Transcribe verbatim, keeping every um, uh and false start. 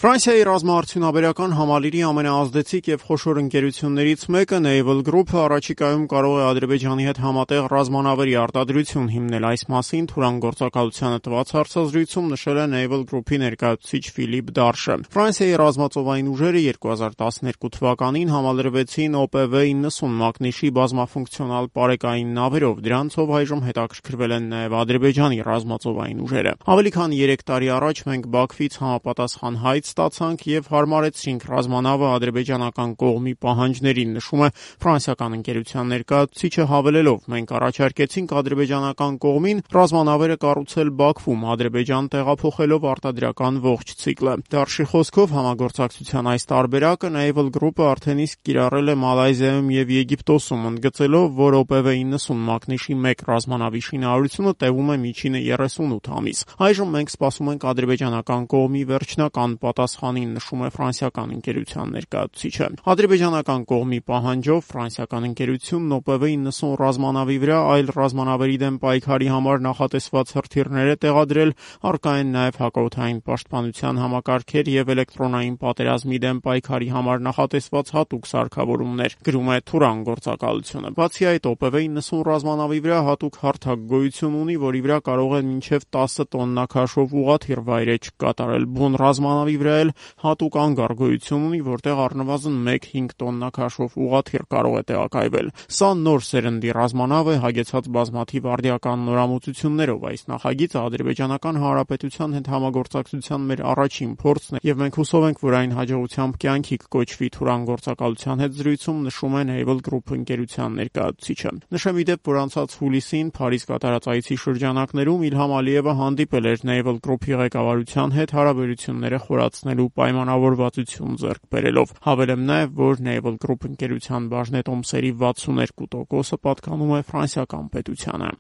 Ֆրանսիայի ռազմաարդյունաբերական համալիրի ամենաազդեցիկ եւ խոշոր ընկերություններից մեկը Naval Group-ը առաջիկայում կարող է Ադրբեջանի հետ համատեղ ռազմանավերի արտադրություն հիմնել։ Այս մասին Թուրան գործակալությանը տված հարցազրույցում նշել է Naval Group-ի ներկայացուցիչ Ֆիլիպ Դարշը։ Ֆրանսիայի ռազմածովային ուժերը երկու հազար տասներկու թվականին համալրվեցին օ պե վե իննսուն մակնիշի բազմաֆունկցիոնալ պարեկային նավերով։ Դրանցով այժմ հետաքրքրվել են նաեւ Ադրբեջանի ռազմածովային ուժերը։ Ավելի քան երեք տարի առաջ մենք Բաքվից համապատասխան հայտ ստացանք եւ հարմարեցրինք ռազմանավը ադրբեջանական կողմի պահանջներին, նշում է ֆրանսիական ընկերության ներկայացուցիչը, հավելելով. մենք առաջարկեցինք ադրբեջանական կողմին ռազմանավերը կառուցել Բաքվում, Ադրբեջան տեղափոխելով արտադրական ողջ ցիկլը։ Դարշի խոսքով համագործակցության այս տարբերակը Naval Group-ը արդեն իսկ կիրառել է Մալայզիայում եւ Եգիպտոսում, ընդգծելով, որ օ պե վե իննսուն մակնիշի մեկ ռազմանավի շինարարությունը տևում է միջինը երեսունութ ամիս։ Այժմ մենք սպասում ենք ադրբեջանական կողմի վերջնական պատասխանին, նշում է ֆրանսիական ընկերության ներկայացուցիչը։ Ադրբեջանական կողմի պահանջով ֆրանսիական ընկերությունն օ պե վե իննսուն ռազմանավի վրա այլ ռազմանավերի դեմ պայքարի համար նախատեսված հրթիռներ է տեղադրել, առկա են նաև հակաօդային պաշտպանության համակարգեր եւ էլեկտրոնային պատերազմի դեմ պայքարի համար նախատեսված հատուկ սարքավորումներ, գրում է Թուրան գործակալությունը։ Բացի այդ, օ պե վե իննսուն ռազմանավի վրա հատուկ հարթակ գոյություն ունի, որի վրա կարող են մինչև տասը տոննա քաշով ուղղաթիռ վայրէջք կատարել։ Բուն ռազմանավի վրա էլ հատուկ անգար գոյություն ունի, որտեղ առնվազն մեկ հինգ տոննա քաշով ուղղաթիռ կարող է տեղակայվել։ Սա նոր սերնդի ռազմանավ է, հագեցած բազմաթիվ արդիական նորամուծություններով։ Այս նախագիծը ադրբեջանական հանրապետության հետ համագործակցության մեր առաջին փորձն է եւ մենք հուսով ենք, որ այն հաջողությամբ կյանքի կկոչվի, Թուրան գործակալության հետ զրույցում նշում է Naval Group ընկերության ներկայացուցիչը։ Նշեմ ի դեպ, որ անցած հուլիսին Փարիզ կատարած այցի շրջանակներում Իլհամ Ալիևը հանդիպել էր Naval Group-ի ղեկավարության հետ հարաբերությունները խորացնելու պայմանավորվածություն ձեռք բերելով։ Հավելեմ նաև, որ Naval Group ընկերության բաժնետոմսերի վաթսուներկու տոկոսը պատկանում է ֆրանսիական պետությանը։